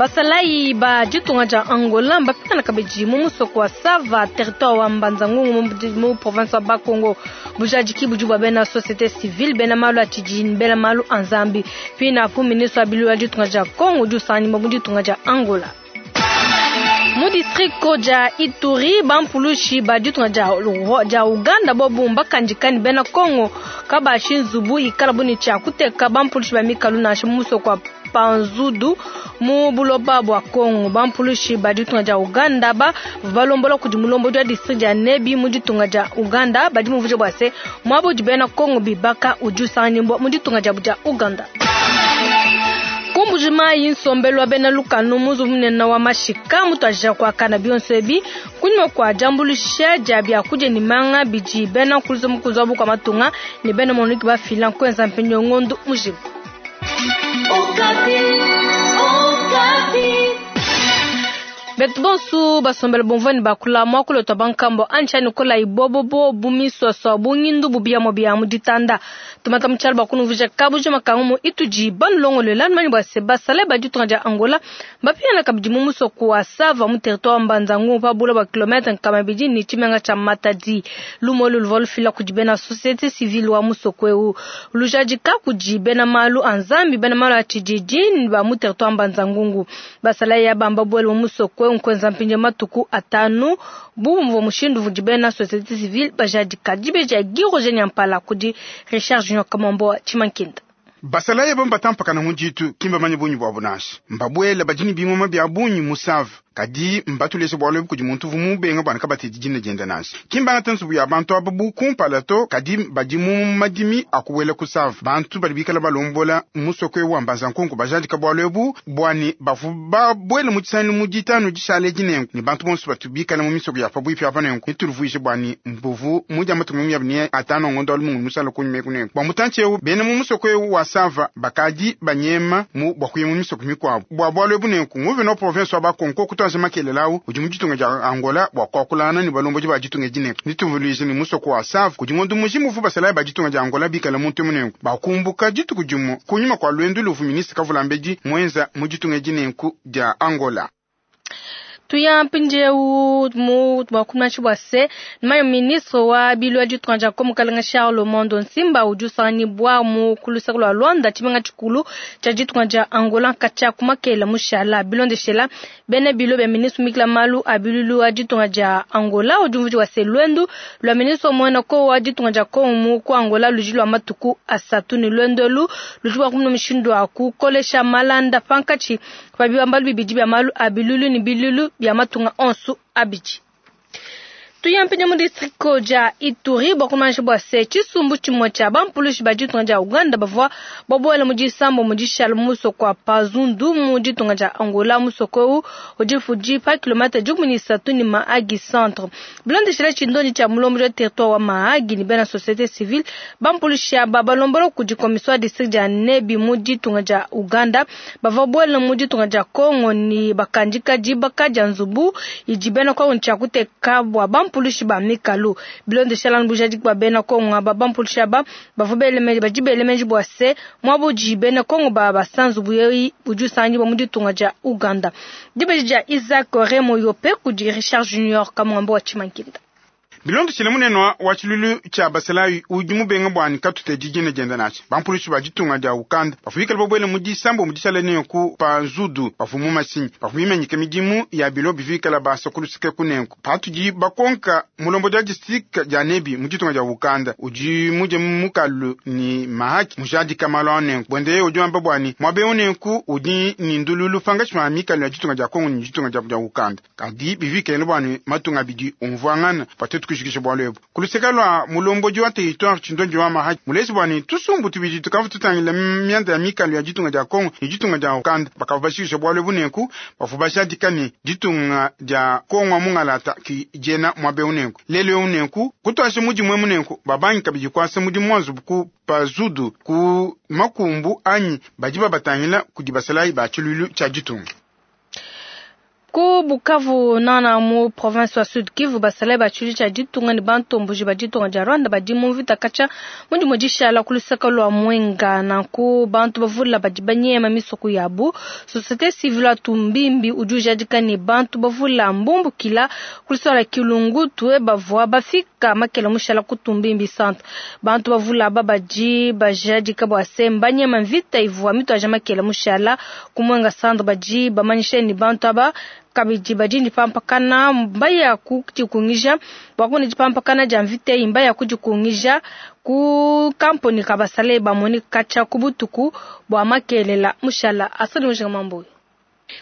Basalayi ba ditunga dia Angola mbapingana kabidi mu musoko wa Sava, territoire wa Mbanza-Ngungu mu province wa Bas-Congo. Bujadiki budi bua bena societe civile, bena malu a tshididi ne bena malu a Nzambi. Pinapu ministre wa biluilu wa ditunga dia Congo udi usanganyibua mu ditunga dia Angola. Mu distrike dia Ituri, bampulushi ba ditunga dia Uganda bobu mbakandika ne bena Congo kabashi nzubu ikalabu ne tshia kuteka bampulushi ba mikalu nansha mu musoko wa Panzudu mu buloba bua Congo. Bampulushi ba ditunga dia Uganda ba balombola kudi mulombodi wa distrike dia Nebi mu ditunga dia Uganda badi mumvuija bua se muaba udi bena Congo bibaka udi usanganyibua mu ditunga diabu dia Uganda. Ku Mbuji-Mayi, nsombelu wa bena lukanu mu nzubu munene wa mashika mutuadija kuakana. Bionso ebi kunyima kua diambuluisha dia biakudia ne manga bidi bena nkuluza mukunzi wa bukua matunga ne bena MONUC bafila nkuenza mpindieu ngondo mujima. Betu bonsu basombele bumvua ne bakula muakulu tua bankambua anyi anyi kolayi bobobo bu misuasua bu ngindu bu biamua bia mu ditanda. Tumata mu tshialu bua kunumvuija kabujima ka ngumu itudi banulongoluela. Numanyi bua se basalayi ba ditunga dia Angola mbapingana kabidi mu musoko wa Sava mu territoire wa Mbanza-Ngungu pa bula bua kilometre 200 ne tshimenga tshia Matadi. Lumu elu luvua lufila kudi bena societe civile wa musoko eu, lujadika kudi bena malu a Nzambi, bena malu a tshididi ne ba mu territoire wa Mbanza-Ngungu. Basalayi aba mbabuele mu musoko eu nkuenza mpindieu matuku atanu bu muvua mushindu udi bena societe civile bajadika. Dibeji dia Guy Roger Nyampala kudi Richard Junior Kamombo wa Tshimankinda. Basalayi aba mbatampakana mu ditu, ki mbamanye bungi buabu nansha. Mbabuele badi ne bingoma bia bungi mu Save, kadi mbatuleje bualu ebu kudi muntu uvua mubenga bua ne kabatedi dina diende nansha. Ki mbangate nzubu ya bantu aba bu kumpala to, kadi badi mu madimi a kubuela ku Save. Bantu badi bikale balombola musoko eu wa Mbanza-Nkunku bajadika bualu ebu bua ne bavua babuele mu tshisangilu mu ditanu dishale edi nenku ne bantu bonso batu bikale mu misoko ya pabuipi apa nenku netuluvuije bua ne mbuvu mudia matuku 25 a ngondo wa lumingu mushala kunyima eku nenku. Bua mutantshi eu bena mu musoko eu wa Sava bakadi banyema mu bua kuya mu misoko mikuabu. Bua bualu ebu nenku nguvena wa province wa Bas-Congo kutuaja makelela au udi mu ditunga dia Angola bua kuakulangana ne balombodi ba ditunga edi nenku netuvuluije ne musoko wa Sava kudi ngondo mujima uvua basalayi ba ditunga dia Angola bikale muntu emu nenku bakumbuka dituku dimue kunyima kua luendu luvua ministre Kavulambedi muenza mu ditunga edi nenku dia Angola. Tuya mpindieu mu bua kumanyisha bua se mayo ministre wa bilu wa ditunga dia Kongo Mukalenga Charles Mondo Nsimba udi usanganyibua mu ku luseke lua Luanda, tshimenga tshikulu tshia ditunga dia Angola katshia ku makela mushala. Bilondeshela bena bilo bia ministre mikila malu a biluilu wa ditunga dia Angola udi umvuija bua se luendu lua ministre muena ko wa ditunga dia Kongo mu ku Angola ludi lua matuku asatu ne luendu elu ludi bua kumona mushindu wa kukolesha malanda pankatshi pa bibambalu bibidi bia malu a biluilu ne biluilu bia matunga onso abidi. Tuya mpindieu mu distrike dia Ituri bua kumanyisha bua se tshisumbu tshimue tshia bampulushi ba ditunga dia Uganda bavua babuele mu disambo mu dishala mu musoko wa Pazundu mu ditunga dia Angola. Musoko eu udi udi pa kilometre 13 ne Mahagi centre. Bilondeshile tshindondi tshia mulombodi wa territoire wa Mahagi ne bena societe civile, bampulushi aba balombola kudi commission wa district dia Nebi mu ditunga dia Uganda bavua babuele mu ditunga dia Congo ne bakandika dibaka dia nzubu idi bena Congo tshia kuteka bua bampulushi ba mikalu. Bilondeshela anu bujadiki bua bena Congo aba, bampulushi aba bavua bele meji, badi bele meji bua se muaba udi bena Congo ba basa nzubu eyi udi usanganyibua mu ditunga dia Uganda. Dibeji dia Isaac Remo Yope kudi Richard Junior Kamwambo wa Tshimankinda. Bilondeshile munene wa tshiluilu tshia basalayi udi mubenga bua ne katutedi dina diende nansha, bampulushi ba ditunga dia Uganda bavua bikale babuele mu disambo mu dishala nenku pa nzudu bavua mu mashinyi bavua bimanyike midimu ya bilo bivua bikale basa ku luseke ku nenku. Patudi bakonka mulombodi wa district dia Nebi mu ditunga dia Uganda udi mudie mukalu ne mahaki mujadika malu a nenku buende yeye udi wamba bua ne muaba eu nenku udi ne ndululu pankatshi pa mikalu ya ditunga dia Congo ne ditunga dia Uganda. Kadi bivua bikengela bua ne matunga abidi umvuangana bua tuetu kujikija bualu ebu. Ku luseke lua mulombodi wa territoire Tshindondi wa Mahaki muleji bua ne tusumbu tubidi tukavua tutangila mianda ya mikalu ya ditunga dia Congo ne ditunga dia Uganda bakavua bajikija bualu ebu nenku bavua bajadika ne ditunga dia Congo wa mungalata ki diena muaba eu nenku. Lelu eu nenku kutuaja mudimu emu nenku babangi kabidi kuasa mudimu wa nzubu ku Pazudu ku makumbu anyi badi babatangila kudi basalayi ba tshiluilu tshia ditunga. Ku Bukavu nana mu province wa Sud Kivu, basalayi ba tshilu tshia ditunga ne bantomboji ba ditunga dia Rwanda badi mu mvita katshia mu dimue dishala ku luseke lua Mwenga. Nanku bantu bavula badi banyema misoko yabu. Société civile wa Tumbimbi udi ujadika ne bantu bavula mbumbukila ku luseke lua Kilungutu bavua bafika makela mushala ku Tumbimbi centre. Bantu bavula aba badi bajadika bua se mbanyema mvita ivua mituaja makela mushala ku Mwenga centre. Badi bamanyisha ne bantu aba kabidi badi ne dipampakana mbaya kudikungija bua kumona dipampakana dia mvita eyi, mbaya kudikungija ku kamponi ka basalayi bamoni katshia ku butuku bua makelela mushala. Asali mushinga mamboyi.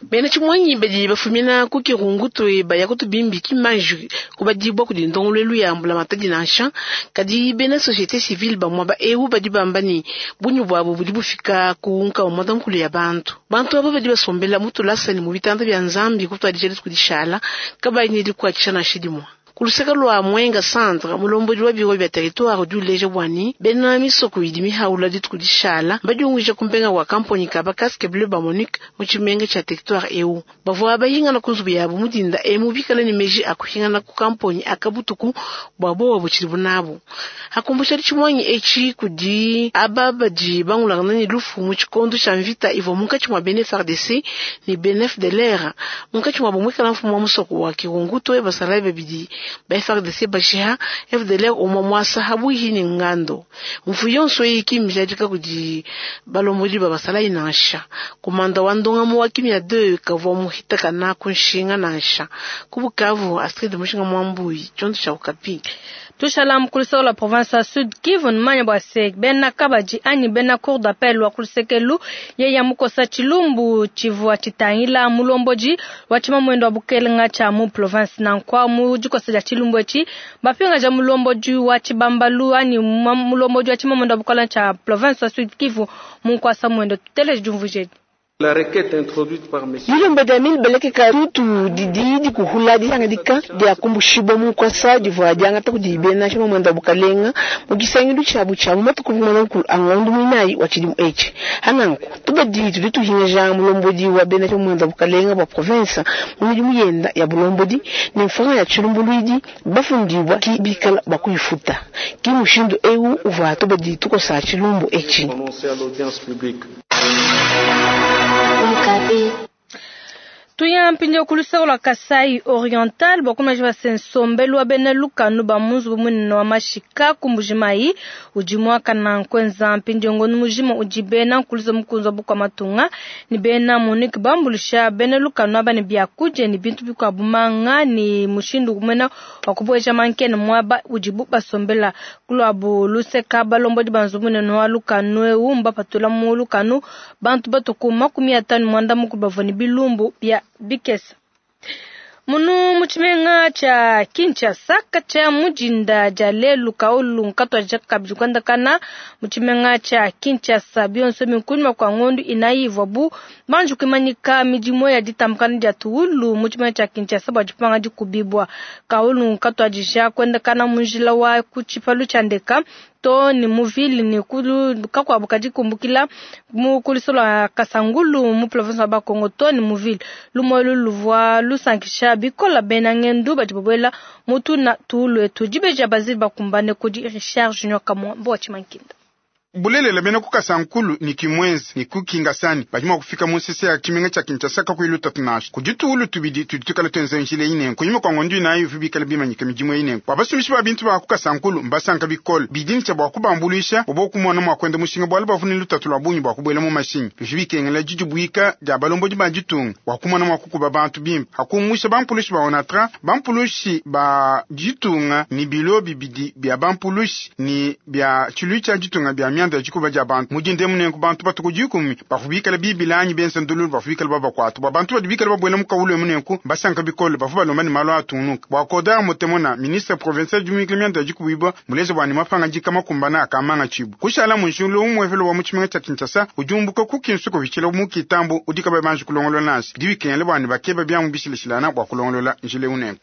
Bena tshimwanyi badi bafumina ku Kirungutu baya kutubimbi kimanji kubadibwa kudi ndongoluelu ya mbulamatadi nansha. Kadi bena société civile ba muaba eu badi bamba ne bungi bwabo budi bufika ku nkama muanda-mukulu ya bantu. Bantu aba badi basombela mu tulasa ne mu bitanda bia Nzambi kutuadija dituku dishala kabayi ne dikuatshisha nansha dimue. Ku luseke lua Mwenga centre, mulombodi wa biro bia territoire udi uleja bua ne bena misoko idi mihaula dituku dishala badiunguija ku mpenga wa kamponi ka ba casque bleu ba MONUC mu tshimenga tshia territoire eu. Bavua bahingana ku nzubu yabu mu dinda emu bikale ne meji a kuhingana ku kamponi aka butuku bua bowa butshidibu nabu. Hakumbusha tshimwanyi etshi kudi aba badi bangulangana ne lufu mu tshikondo tshia mvita ivua munkatshi mua bena FARDC ne bena FDLR. Munkatshi muabu muikala mfumu wa musoko wa Kirungutu basalayi babidi ba FARDC bashiha FDLR umwe mwasa habuhi ni ngando. Mfu yonso eyi kimijadika kudi balombodi ba basalayi nansha. Komanda wa ndongamu wa kimia 2 kavua muhita kana kunshinga nansha. Ku Bukavu, Astrid Mushinga Mwambuyi, tshiondo tshia Okapi. Tushala mukulusa la province ya Sud Kivu numanya bua se bena kabadi anyi bena cour d'appel wa kulusekelu yeya mukosa tshilumbu tshivua tshitangila mulombodi wa tshimamwendo wa bukelenga tshia mu province. Nankwa mu dikosa dia tshilumbu etshi bapingaja mulombodi wa tshibambalu anyi mulombodi wa tshimamwendo wa bukelenga tshia province ya Sud Kivu mu nkuasa mwendo. Tuteleje diumvuija. La requête introduite par monsieur Dilomba dia Emile Beleke Karutu didi dikuhula dihangadika dia kumbushibwa mu nkuasa divua diangata kudi bena tshimamwendo wa bukalenga mu tshisangilu tshiabu tshia mu matuku muanda-mukulu a ngondo muinayi wa tshidimu etshi. Hananku tubadi tudi tuhingaja mulombodi wa bena tshimamwendo wa bukalenga bua province mu midimu yenda ya bulombodi ne mfranga ya tshilumbuluidi bafundibwa ki bikala bua kuyifuta. Ki mushindu eu uvua tubadi tukosa tshilumbu etshi. Prononcé à l'audience publique. Tuya mpindieu ku luseke lua Kasai Oriental bua kumanya bua se nsombelu wa bena lukanu ba mu nzubu munene wa mashika ku Mbujimayi udi muakana nkuenza mpindieu ngondo mujima udi bena nkuluza mukunzi wa bukua matunga ne bena MONUC bambulusha bena lukanu aba ne biakudia ne bintu bikuabu manga ne mushindu kumena wa kubueja mankene muaba udibu basombela. Kuluabu luseka balombodi ba nzubu munene wa lukanu eu mbapatula mu lukanu bantu batuku 59 bavua ne bilumbu bia bikesa. Munu mu tshimenga tshia Kinshasa katshia mudinda dia lelu kaulu nkatuadija kabidi kuendakana mu tshimenga tshia Kinshasa bionso minkuni kua ngondo inayi ivuabu banji kuimanyika midimu ya ditambakana dia tuwulu mu tshimenga tshia Kinshasa bua dipanga dikubibwa. Kaulu nkatuadija kuendakana mu njila wa ku tshipalu tshia ndeka to ni muvili ni kulu kakuabu kadi kumbukila mu kuliso lua Kasangulu mu province wa Bakongo to ni muvili lumolu luvua lusankisha bikola bena ngendu badi babuela mutu na tuulu etu dibeja bazili bakumbane kudi Richard Junior Kamwambo wa Tshimankinda. Bulelela bena ku Kasankulu ni kimwenzi ni kukingasani badi mua kufika mu nsese ya tshimenga tshia Kinshasa kakuyi lutatu nansha. Kudi tuwulu tubidi tudi tukala tuenza njila ine kunyima kua ngondo inayi ivu bikala bimanyika midimu ine. Bua basumbishi ba bintu ba ku Kasankulu mbasanka bikole bidi ntshia bua kubambuluisha bua bokumona mua kuenda mushinga bualu bavua ne lutatu lua bungi bua kubuela mu mashinyi. Bivua bikengela didibuika dia balombodi ba ditunga bua kumona mua kukuba bantu bimpe. Hakumusha bampulushi ba ONATRA, bampulushi ba ditunga ni bilo bibidi bia bampulushi ni bia tshilu tshia ditunga bia mianda dikuba dia bantu. Mudinde munenku bantu batuku dikumi bavua bikala bibilanyi benza ndululu bavua bikala babakuata. Bua bantu badi bikala babuela mu kawulu munenku basanka bikole bavua balomba ne malu atungunuka. Bua Kodar Motemona, ministre provincial du mianda dikubibwa muleze bua ne mapanga dika makumbana akamanga tshibu. Kushala mu njulu umwevelo wa mu tshimenga tshia Kinshasa udi umbuka ku Kinsuku vitshila mu Kitambo udi kaba banji kulongolola nansha. Bidi bikengela bua ne bakeba bia mu bishilashilana bua kulongolola njila unenku.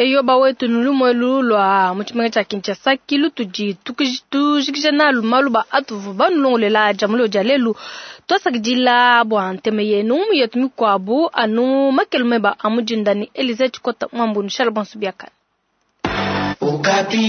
Eyo bawetu nulumwelu lwa mu tshimenga tshia Kinshasa kilu tudi tujikija nalu malu atuvu banulongolela jamulo dia lelu twasakidila bua nteme yenu yetu mikwabu anu makelu meba amujinda ni Elize Chikota mwambu nushala bonso biakana. Okapi.